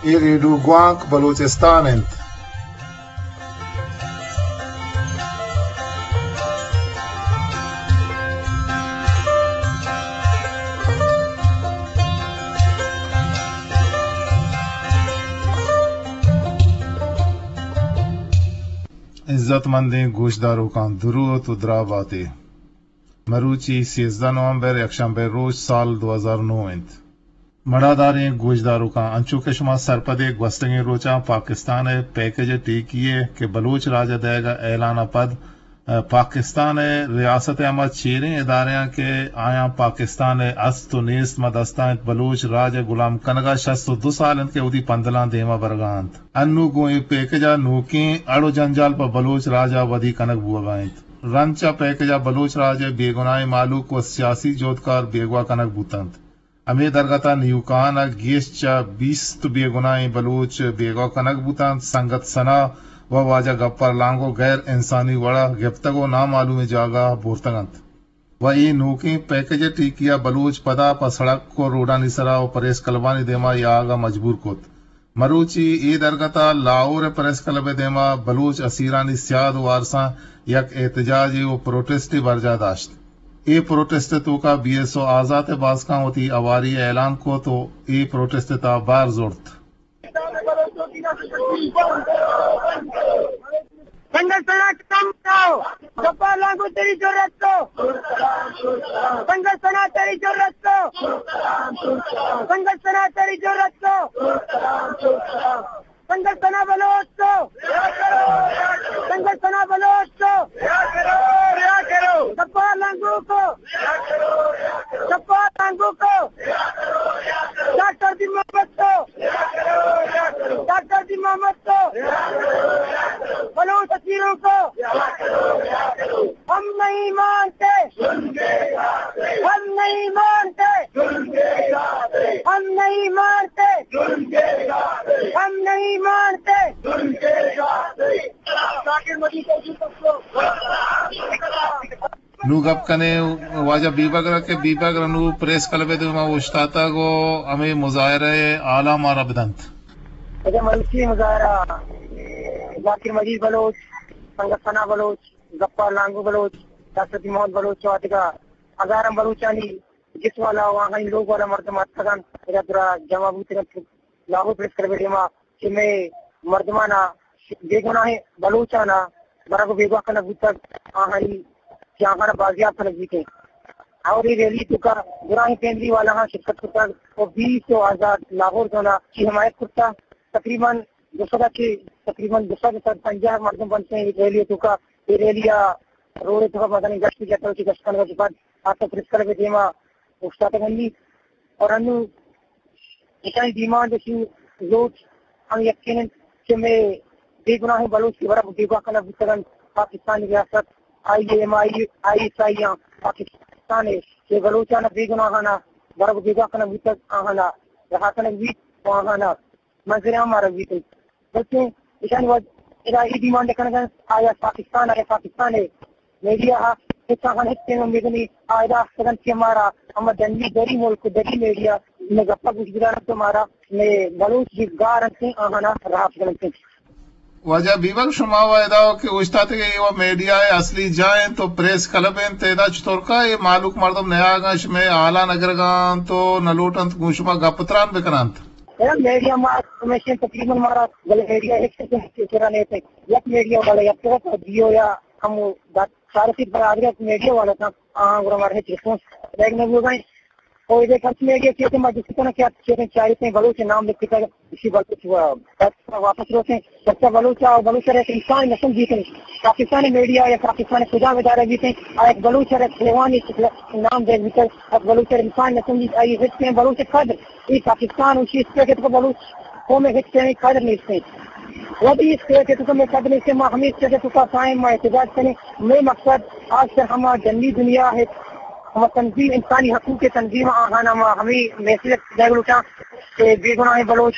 اے ریڈیو گوانک بلوچستان انت۔ عزت مندیں گوشداروکاں، دروت و دراہ باتے۔ مروچی سیزدہ نومبر، یکشنبہ روچ، سال دو ہزار نو انت۔ مڑاداریں گوشداروکاں، انچو کہ شما سرپدے، گوستگیں روچاں پاکستان ء پیکج ٹیکی ء کہ بلوچ راج ء دئیگ ء اعلان ء پد، ء، پاکستان ء ریاست ء ہما چیریں ادارہاں کہ آیاں پاکستان ء است و نیست ماں دستاں انت، بلوچ راج ء گلام کنگ ء شست و دو سال انت کہ وتی پندلاں دیما برگا انت۔ انو گوں اے پیکج ء نوکیں اڑ و جنجال پہ بلوچ راج ء ودی کنگ بوگا انت۔ رند چہ پیکج ء بلوچ راج ء بے گناہیں مہلوک و سیاسی جہدکار بیگواہ کنگ بوتنت۔ ہمے درگت ء نیوکان ء گیش چہ بیست بے گناہیں بلوچ بیگواہ کنگ بوتنت۔ سنگت ثنا و واجہ گپار لانگو غیر انسانی وڑ ء گپتگ و نامعلومیں جاگہ ء بورتگ انت۔ و اے نوکیں پیکج ٹیکی ء بلوچ پدا پہ سڑک و روڈانی سرا و پریس کلبانی دیما یاگ ء مجبور کت۔ مروچی اے درگت ء لاہور ء پریس کلب ء دیما بلوچ اسیرانی سیاد و وارساں یک احتجاجے و پروٹسٹے برجاہ داشت۔ اے پروٹسٹ ء توکا بی ایس او آزات ء باسکاں وتی ہواری ء اعلان کت و اے پروٹسٹ ء تہا بہر زرت۔ سنگت ثنا کم کرو۔ گپار لانگو تیری جرأت تو۔ سنگت ثنا تیری جرأت تو۔ سنگت ثنا تیری جرأت تو۔ سنگت ثنا بلوچ تو۔ سنگت ثنا بلوچ تو۔ گپار لانگو کو۔ گپار لانگو کو۔ ڈاکٹر دی محمد تو۔ ڈاکٹر دی محمد تو۔ بلوچ اسیروں کو۔ ہم نہیں مانتے۔ ہم نہیں مانتے۔ ہم نہیں مانتے۔ ہم نہیں مانتے۔ نوں گپ کنیں واجہ بیبگر ء کہ بیبگر نوں پریس کلب ء دیما اوشتاتگ و ہمے مظاہرہ ء حالاں مارا بدنت۔ اگاں مروچی مظاہرہ ذاکر مجید بلوچ، سنگت ثنا بلوچ، گپار لانگو بلوچ، ڈاکٹر دی محمد بلوچ و دگہ ہزاراں بلوچانی جس والا و آہانی لوگ والا مردم اتکگ انت، ادا درا جمع بوتگ انت۔ لاہور پریس کلب ء دیما کہ مئے مردمانا، بے گناہیں بلوچانا برگ و بیگواہ کنگ بوتگ، آہانی کہ آہانا بازیاب کنگ بیتیں۔ اور اے ریلی توکا گراہیں فیملی والاہاں شرکت کتگ و بیس و آزاد لاہور زونا چی حمایت کرتا۔ تقریباً دو سد ء چہ تقریباً دو سد، سد پنجاہ مردم بنت اے ریلی ء توکا۔ اے ریلی ء روڈ ء توکا مزنیں گشت جتگ، چہ گشت کنگ ء پد آ تو پریس کلب ء دیما اوشتاتگ انت اور انوں ایشانی ڈیمانڈ، ایشانی لوٹ ہم یکین انت کہ مئے بے گناہیں بلوچ کہ برگ بیگواہ کنگ بوتگ انت، پاکستانی ریاست، آئی ایم آئی، آئی ایس آئی آں پاکستان ء کہ بلوچانا بے گناہانا برگ بیگواہ کنگ بوتگ، آہانا رہا کنگ بیت و آہانا منظر عام آرگ بیت انت۔ بلکیں ایشانی وت ادا اے ڈیمانڈ کنگ انت، آیا پاکستان، آیا پاکستان ء میڈیا ء ہچ آہان ہچ پیم امید نی، آ ادا آختگ انت کہ مارا ہما ڈنی دری ملک، دری میڈیا مئے گپا گوش بدار انت و مارا مئے بلوچ جی گار انت، آہانا رہا کنگ انت۔ واجہ بیبل، شما و ادا کہ اوشتاتگ ئے، اے و میڈیا ء اصلی جاہ انت و پریس کلب انت، ادا چطور کا اے مہلوک مردم نیاگ انت، شمئے حالاں نگرگ ء انت و نہ لوٹ انت گوں شما گپ تران بکن انت؟ اے میڈیا ما ہمیشہ تقریباً مارا بلے میڈیا ہچ قسم ء چرا نیت۔ یک میڈیا والا یک طرف ء جیو یا ہم دات چارسی برادری میڈیا والا تھا، آہاں گڑا مارا ہچ رسپانس دیگ نہ بوگا انت۔ او اے کس میڈیا کیتے ما جستی کناں کہ آپ چیزیں چارتے بلوچ نام لکھتا ہے، اسی بلوچ وا-، واپس روتے ہیں۔ بچہ بلوچ آ، بلوچ ء انسان نہ سمجھیتے ہیں۔ پاکستان میڈیا یا پاکستان خدا ادارہ بیتے ہیں، آ ایک بلوچ ء حیوانی نام دے بیتے، ایک بلوچ ء انسان نہ سمجھیتے، آئی ہچ میں بلوچ قدر، یہ پاکستان اسی اس پہ کہ تو بلوچ قوم ہچ میں قدر نہیں سے۔ وتی اس پہ کہ تو میں قدر نہیں سے، ما ہمیں اس پہ کہ تو کا قائم ما احتجاج کریں۔ میں مقصد آج کل ہما جنگی دنیا ہے، ہما تنظیم، انسانی حقوق تنظیم آہانا ما ہمیں میسج دے لوٹاں کہ بے گناہیں بلوچ،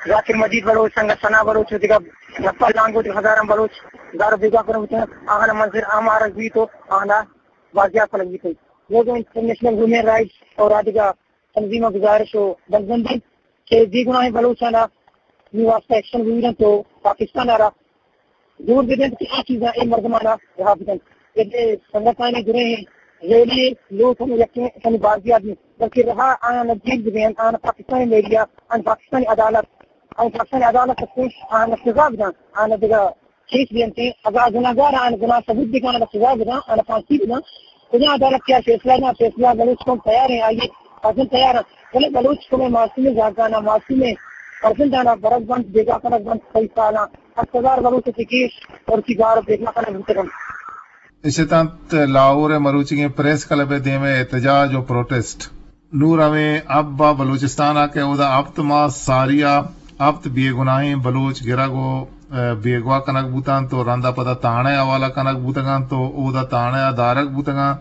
ذاکر مجید بلوچ، سنگت ثنا بلوچ و دگہ گپا لانگو دگہ ہزاراں بلوچ گار و بیگواہ کنگ بوتگ، آہانا منظر عام آرگ بیت و آہانا بازیاب کنگ بیت۔ لوگوں انٹرنیشنل ہیومن رائٹس اور آ دگہ تنظیماں گزارش و بندبندی کہ بے گناہیں بلوچانا نی واسطہ ایکشن بگیرنت و پاکستان ء را زور بدنت کہ آ چیزاں اے مردمانا رہا بدنت۔ اے سنگتانی دریں ریلی لوٹ ہم یکیں کمی بازیاب انت، بلکہ رہا آیانا جیل بدینت، آیانا پاکستانی میڈیا، آیانا پاکستانی عدالت، آیانا پاکستانی عدالت ء پیش آیانا سزا بدنت، آیانا دگہ کیس بینتیں، اگاں گناہگار آں گناہ ثبوت بکن، آں سزا بداں، آں پھانسی بداں۔ کجا عدالت کیا فیصلہ داں، فیصلہ بلوچ قوم تیار ہیں، آئیے عزم تیار ہیں۔ بلے بلوچ قوم معصوم زاگانا، معصوم فرزندانا برگ بنت، بیگواہ کنگ بنت، کئی سالاں ہشت ہزار بلوچ چکیش اور کی گار بیگواہ کنگ بوتگن۔ اشتنت لاہور ء مروچیگیں پریس کلب ء دیم ء احتجاج و پروٹسٹ۔ نوں ہمے حب ء بلوچستان ء کہ اودا ہپت ماہ ساری ء ہپت بے گناہیں بلوچ گرگ و، ء، بیگواہ کنگ بوتنت و رند ء پدا تھانہ ء حوالہ کنگ بوتگنت و اودا تھانہ ء دارگ بوتگاں،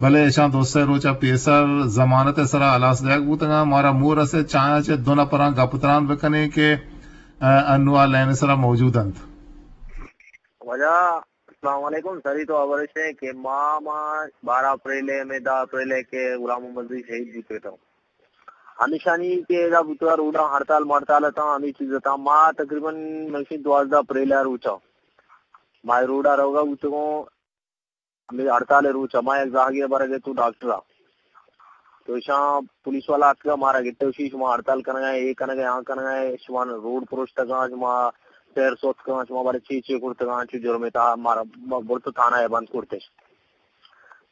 بلے اشاں دو سے روچ ء پیسر ضمانت ء سرا ہلاس دیگ بوتگاں۔ مارا مور رسیت، چایاں چہ دو نپراں گپ تران بکنیں کہ، ء، انوں آ لائن ء سرا موجود انت۔ واجہ السلام علیکم۔ سری تو خبر اش کہ ما، ما بارہ اپریل ء، میں دہ اپریل ء کہ غلام محمد رضی شہید بوتگ اتاں۔ ہمیشانی کہ ادا بوتگ روڈاں ہڑتال مڑتال اتاں، ہمیں چیز اتاں۔ ما تقریباً مشین دوازدہ اپریل ء روچا ما روڈا روگا بوتگوں۔ ہمیں ہڑتال روچا ما یک زاہگے برگ ء تو ڈاکٹر ء تو ایشاں پولیس والا اتکا مارا گپت، اشی شما ہڑتال کنگا ہے، اے کنگا ہے، آ کنگا ہے، شما روڈ پروشتگاں، شما سیر سوتکاں، شما بارے چی چی کرتگاں، چی جرمے تا مارا ب-، برت تھانہ ہے بند کرتش۔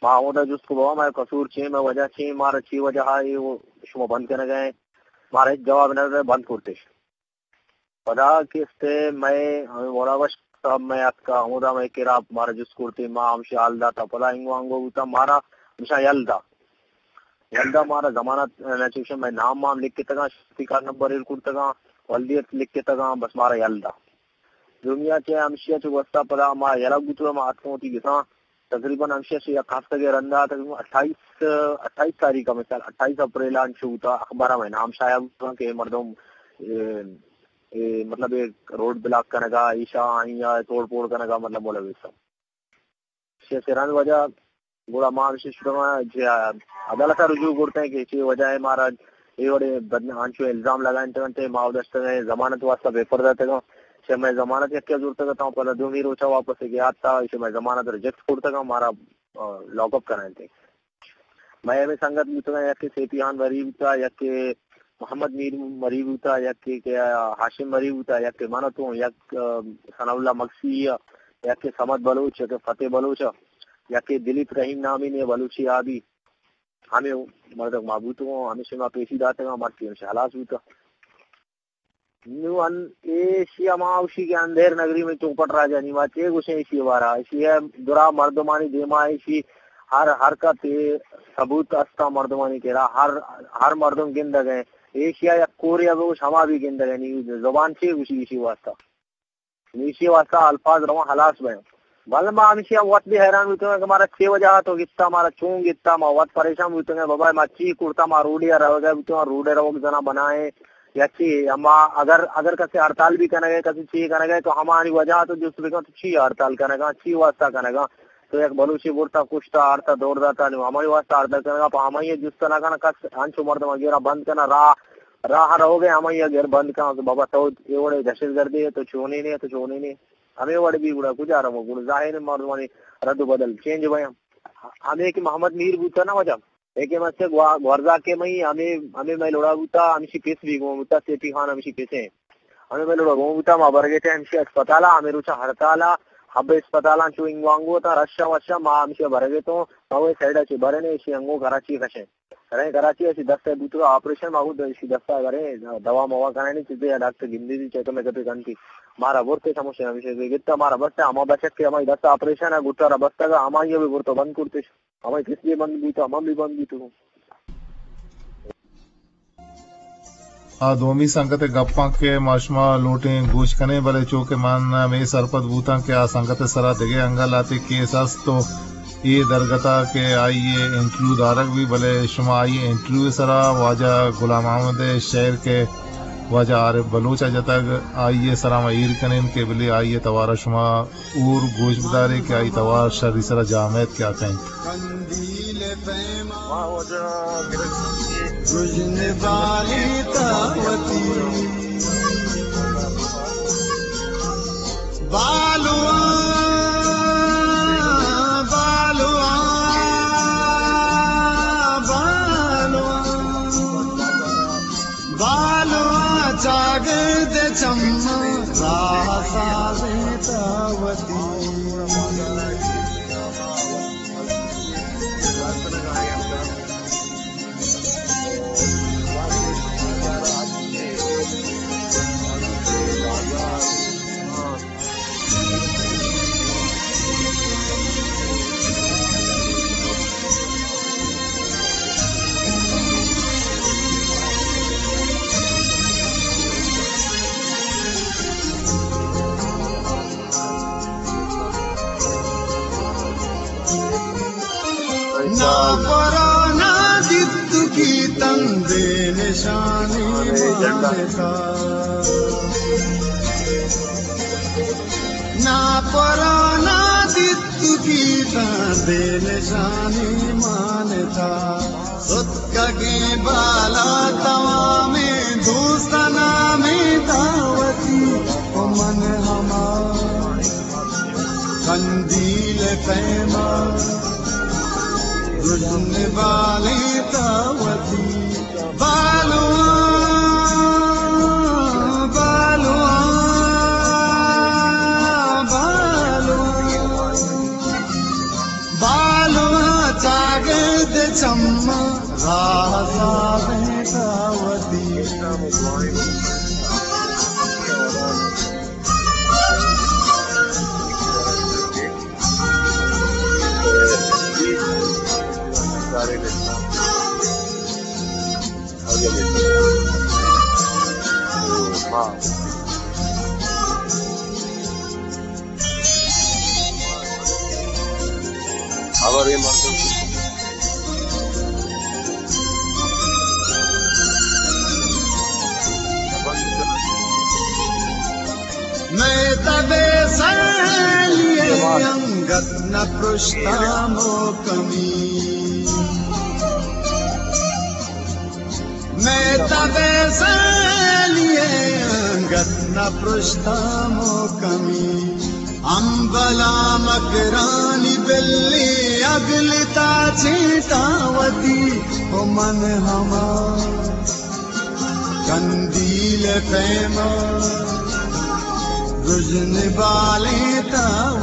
ما ہمودا جست کو بابا، میں قصور چی، میں وجہ چی، مارا چی وجہ ہے، اے وہ شما بند کنگا ہے، مارا ہیچ جواب نہ دے، بند کرتش۔ پدا کستے میں ہمیں مولا بخش صاحب میں اتکا، ہمودا میں کرا مارا جست کرتے، ما ہمشی حال داتا، پدا انگو انگو بوتا، مارا ہمشا یل دا۔ یل دا مارا ضمانت، نہ چوشیں میں نام مام لکھتگاں، شخصی کارڈ نمبر ایر کرتگاں، ولدیت لکھتگاں، بس مارا یل دا۔ دومیا چہ ہمشیا چہ گوستا پدا ما یلہ بوتگا، ما اتکوں وتی گساں۔ تقریباً ہمشیا چہ یک ہفتگے رندا تقریباً اٹھائیس، اٹھائیس تاریخ ء مثال، اٹھائیس اپریل ء انچو بوتا، اخبار ء میں نام شائع بوتا کہ اے مردم، اے، اے، مطلب، اے روڈ بلاک کنگا، ایشا آئیا توڑ پھوڑ کنگا، مطلب، مولا بخش صاحب۔ چہ سرانی وجہ گڑا ما ہمشی شروع ما چہ عدالت ء رجوع کرتیں کہ چی وجہ ہے مارا اے وڑے بدن-، انچو الزام لگائینتگ انت، ما داشتگ ضمانت واسطہ پیپر داتگاں، چہ میں ضمانت یکے زورتگ اتاں، پدا دومی روچا واپس گیا تا، چہ میں ضمانت ریجیکٹ کرتگاں، مارا، آ، لاک اپ کرائینتے۔ مئے ہمے سنگت بوتگاں، یکے سیفی خان مری بوتا، یکے محمد میر مری بوتا، یکے کہ ہاشم مری بوتا، یکے من اتوں، یک، آ، ثناء اللہ مگسی، یکے صمد بلوچ، یکے فتح بلوچ، یکے دلیپ رحیم نامی نے بلوچی آبی۔ ہمے مردک ما بوتگوں، ہمے شما پیشی داتگاں، مرچی ہمشی ہلاس بوتا۔ نوں ان-، ایشی ہما اوشی کہ اندھیر نگری میں چوپٹ راجا نی ما چے گوشیں ایشی بارا۔ ایشی ہے درا مردمانی دیما ایشی ہر حرکت ثبوت استا مردمانی کرا، ہر، ہر مردم گندگ ہے۔ ایشی یک کورے بگوش ہما بھی گندگ ہے، نی زبان چے گوشی ایشی واسطہ۔ ایشی واسطہ الفاظ رواں ہلاس بیں۔ بل ما ہمشی وت بھی حیران بوتگاں کہ مارا چے وجہ تو گتا، مارا چون گتا، ما وت پریشان بوتگاں، بابا ما چی کرتا، ما روڈی روگا بوتگاں، روڈ روگ زنا بنائیں، یا چی؟ اما اگر، اگر کسی ہڑتال بھی کنگے، کسی چی کنگے، تو ہمانی وجہ تو جست بکن، تو چی ہڑتال کنگا، چی واسطہ کنگا؟ تو یک بلوچی برتا، کشتا، آرتا، دور داتا، نو ہمائی واسطہ ہڑتال کنگا، پہ ہمائی جست نہ کنا، کس انچو مردم گیرا بند کنا، راہ، راہ روگے ہمائی گر بند کنا، تو بابا تو اے وڑے دہشت گردی ہے، تو چونی نے، تو چونی نے۔ ہمے وڑ بھی گڑا کجا رو گڑا ظاہر ہے مردمانی رد و بدل چینج بیاں۔ ہمے کہ محمد میر بوتا نا وجہ، اے کہ مسے گوا-، گورزا کے مئی ہمے، ہمے مئی لوڑا بوتا، ہمشی پیس بھی گون بوتا، سیفی خان ہمشی پیسے۔ ہمے مئی لوڑا گون بوتا، ما برگے تے ہمشی اسپتالا، ہمے روچا ہڑتالا، ہب اسپتالا چو انگو انگو تا، رشا وشا، ما ہمشی برگے تو، ما وہ سائیڈا چے برنے، اشی انگو کراچی کشے۔ رئیں کراچی ءَ، اشی دست ءَ بوتگ آپریشن، ما گوں اشی دست ءَ بریں دوا موا کنانی چیزے یا ڈاکٹر گندی دی چیک اپ میک اپ کنتی۔ مارا برتے سموشے ہمیشہ گتا، مارا بستے ہما بچک کہ ہمائی دست آپریشن ءَ گٹا را بستگ، ہمائی بھی برتو بند کرتش، ہمائی کس بھی بند بیتو، ہما بھی بند بیتو۔ آ دومی سنگت ءِ گپاں کہ ما شما لوٹیں گوش کنیں، بلے چو کہ من ہمے سرپد بوتاں کہ آ سنگت ءِ سرا دگہ انگہ لہتے کیس است و اے درگت ءَ کہ آئی ءِ انٹرویو دارگ بی، بلے شما آئی ءِ انٹرویو ءِ سرا واجہ غلام محمد ءِ شعر کہ واجہ عارف بلوچ ءَ جتگ، آئی ءِ سرا ما ایر کنیں کہ بلے آئی ءِ توار ءَ شما اور گوش بدارے کہ آئی توار شری سرا جامعیت کیا کئیں۔ گژن بالیت وتی بالواں، بالواں، بالواں۔ بالواں چاگرد چماں راہ سازیں تا وتی۔ ناپرا نادیتکی تن بے نشانی مانتا۔ ناپرا نادیتکی تن بے نشانی مانتا۔ ستکگیں بالا توامیں دوست نامیں دعوتی، و من ہما قندیل پیما گژن بالیں تا وتی۔ بالواں، بالواں، بالواں، بالواں چاگرد چماں راہ سازیں تا وتی۔ مئے تب ءِ سیلی ءَ انگت نہ پرشتاں مھکمی۔ مئے تب ءِ سیلی ءَ انگت نہ پرشتاں مھکمی۔ امبلاں مکرانی بلے اگلتا چیتاں وتی، و من ہما قندیل پیما گژن بالیں تا